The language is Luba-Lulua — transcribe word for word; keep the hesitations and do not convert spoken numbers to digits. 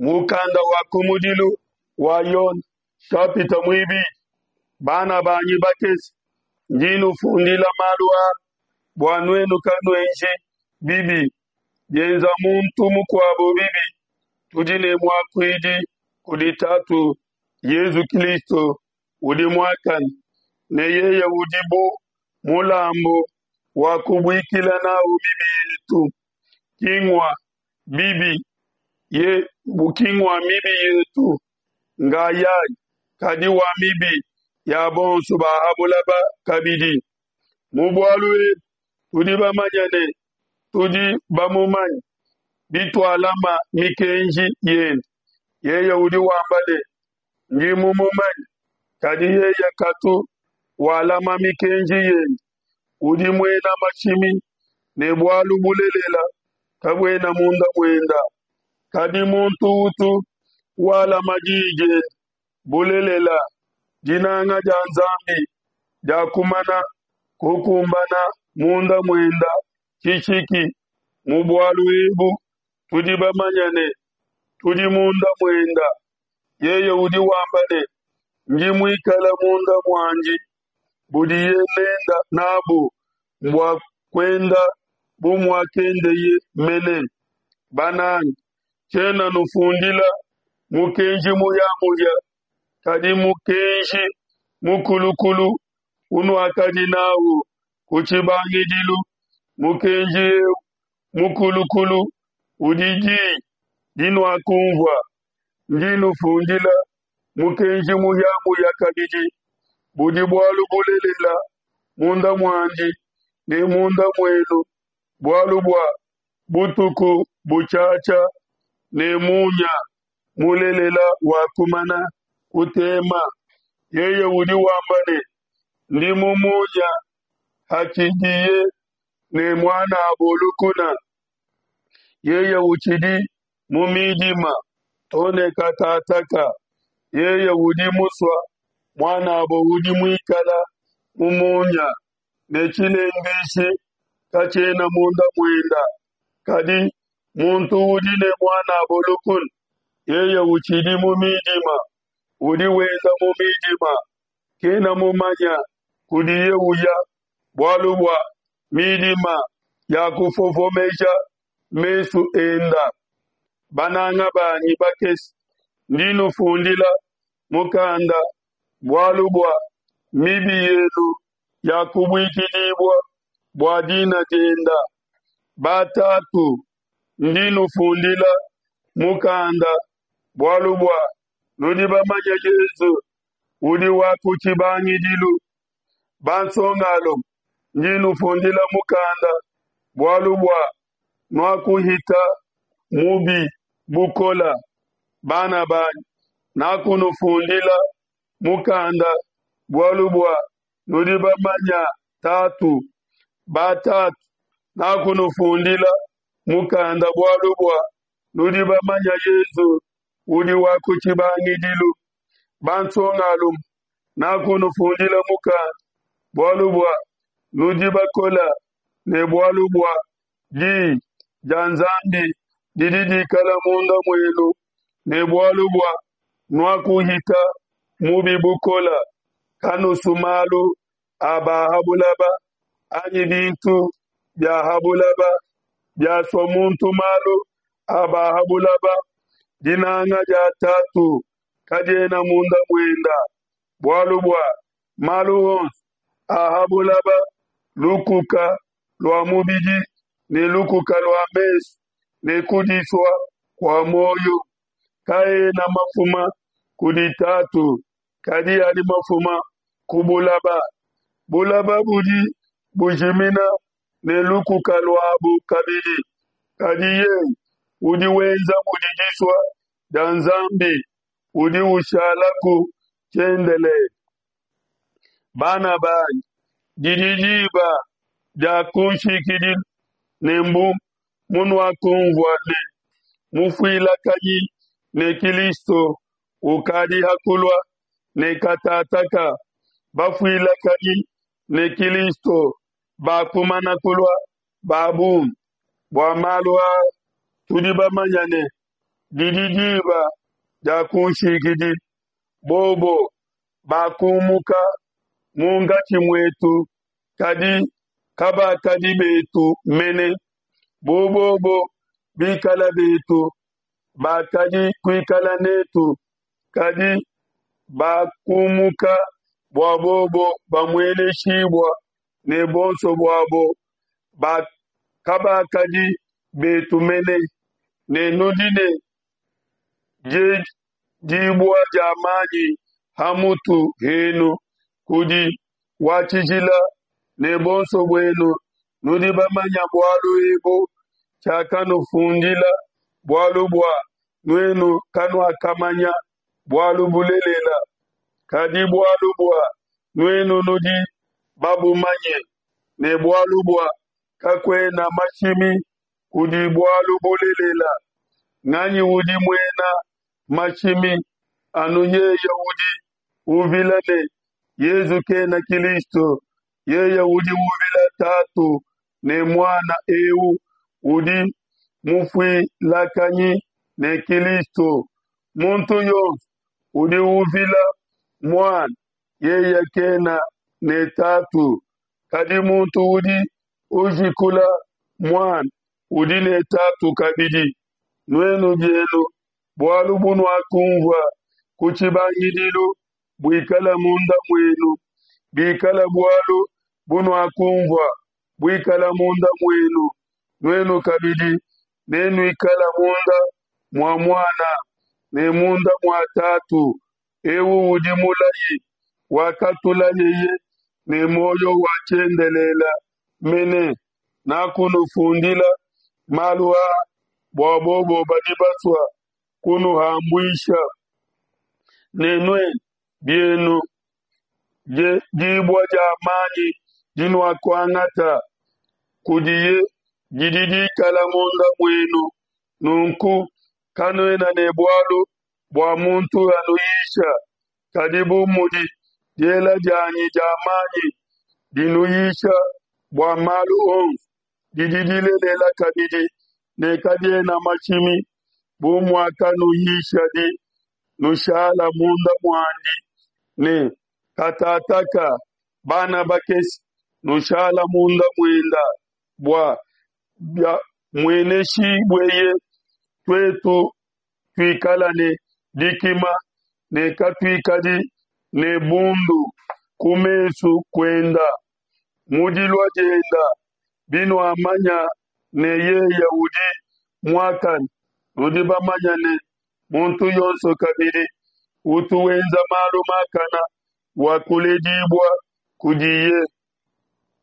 Mukanda wa kumudilu wa Yone nshapita muibidi. Bana banyi bakese, ndi nufundila malu aa bua nuenu kanuenji bibi. Bienza muntu mukuabo bibi, tudi ne muakuidi kudi Tatu, Yesu Kristo udi muakane, ne yeye udi bu mulambu wa kubuikila nawu mibi yetu, ki ngua bibi ye ki ngua mibi yetu ngayayi, kadi wa mibi ya bonso ba ha bulaba kabidi. Mu bualu ebu tudi bamanye ne tudi bamumanye, bitualama mikenji yende. Yeye udi wamba ne, ndi mumumanye, kadi yeye katu walama mikenji yende, udi muena mashimi ne bualu bulelela kabuena munda muenda. Kadi muntu utu walama diyi diende, bulelela, dinanga dia Nzambi diakumana kukumbana munda muenda tshishiki. Mu bualu ebu tudi bamanye ne tudi munda muenda. Yeye udi wamba ne, ndi muikala munda muandi, budiye nenda nabu mbua kuenda bu muakendeye mene. Bananga, tshiena nufundila mukenji muhia-muhia, kadi mukenji mukulukulu unuakadi nawu ku tshibangidilu. Mukenji eu mukulukulu udi diyi dinuakunvua. Ndi nufundila mukenji muhia-muhia kabidi, budi bualu bulelela munda muandi ne munda muenu, bualu bua butuku butshiatshia ne munya mulelela wakumana kutema. Yeye udi wamba ne, ndi mu munya, hatshidiye ne muan'abo lukuna, yeye utshidi mu midima to ne katataka. Yeye udi musue muan'abo udi muikala mu munya, ne tshilenduishi katshiena munda muenda. Kadi muntu udi ne muan'abo lukuna, yeye utshidi mu midima, udi wenda mu midima, kena mumanya kudiye uya, bualu bua midima yakufofomeja mesu enda. Bananga banyi bakese, ndi nufundila mukanda bualu bua mibi yenu yakubuikidibua bua dina dienda. Batatu, ndi nufundila mukanda bualu bua nudi bamanye Yesu udi wa ku tshibangidilu. Bansongalume, ndi nufundila mukanda bualu bua nuakuhita mubi bukola. Bana banyi, nakunufundila mukanda bualu bua nudi bamanya Tatu. Batatu, nakunufundila mukanda bualu bua nudi bamanya Yesu udi wa ku tshibangidilu. Bansongalume, nakunufundila mukanda bualu bua nudi bakola, ne bualu bua diyi dia Nzambi didi dikala munda muenu, ne bualu bua nuakuhita mubi bukola. Kanusu malu a ba ha bulaba anyi bintu bia ha bulaba. Biasua muntu malu a ba ha bulaba, dinanga dia Tatu kadiena munda muenda. Bualu bua malu onso a ha bulaba, lukuka lua mubidi ne lukuka lua mesu ne kudisua kua muoyo, kaena mafuma kudi Tatu, kadi adi mafuma ku bulaba. Bulaba budi bujimina ne lukuka luabu kabidi, kadi yeye udi wenza mudi disua dia Nzambi udi ushalaku tshiendelele. Bana banyi, didi diba dia kunshikidilu, ne mbu munuakunvua ne mufuilakanyi ne Kilisto ukadi ha kulua, ne katataka bafuilakanyi ne Kilisto bakumana kulua ba bungi. Bua malu aa tudi bamanya ne Didi diba dia kunshikidilu, bobo bakumuka munkatshi muetu, kadi kabakadi betu mene. Bu bobo bikala betu, bakadi kuikala netu, kadi bakumuka bua bobo bamueneshibua ne bonso buabo kabakadi betu mene. Ne nudi ne diedibua dia manyi ha mutu henu kudi wa tshijila, ne bonso buenu nudi bamanya bualu ebu. Tshiakanufundila bualu bua nuenu kanuakamanya bualu bulelela, kadi bualu bua nuenu nudi babumanye, ne bualu bua kakuena mashimi kudi bualu bulelela. Nganyi udi muena mashimi? Anu yeye udi uvila ne Yesu kena Kilisto. Yeye udi uvila Tatu ne Muana, eu udi mufuilakanyi ne Kilisto. Muntu yonso udi uvila Muana, yeye kena ne Tatu, kadi muntu udi ujikula Muana udi ne Tatu kabidi. Nuenu bienu, bualu bunuakunvua ku tshibangidilu buikala munda muenu. Bikala bualu bunuakunvua buikala munda muenu, nuenu kabidi nenuikala munda mua Muana ne munda mua Tatu. Eu udi mulayi wakatulayeye, ne muoyo wa tshiendelele mene. Nakunufundila malu aa bua bobo badi basua kunuhambuisha. Ne nuenu bienu, dibua dia manyi dinuakuangata kudiye didi dikala munda muenu, nunku kanuena ne bualu bua muntu anuyisha. Kadi bu mudi diela dianyi dia manyi dinuyisha bua malu onso, didi dilelela kabidi ne kadiena mashimi, bu muakanuyishadi, nushala munda muandi. Ne katataka, bana bakese, nushala munda muenda, bua biamueneshibueye, tuetu tuikala ne dikima ne katuikadi ne bundu ku mesu kuenda mu dilua dienda. Binuamanya ne yeye udi muakane, nudi bamanya ne muntu yonso kabidi utu wenza malu makana wakuledibua kudiye.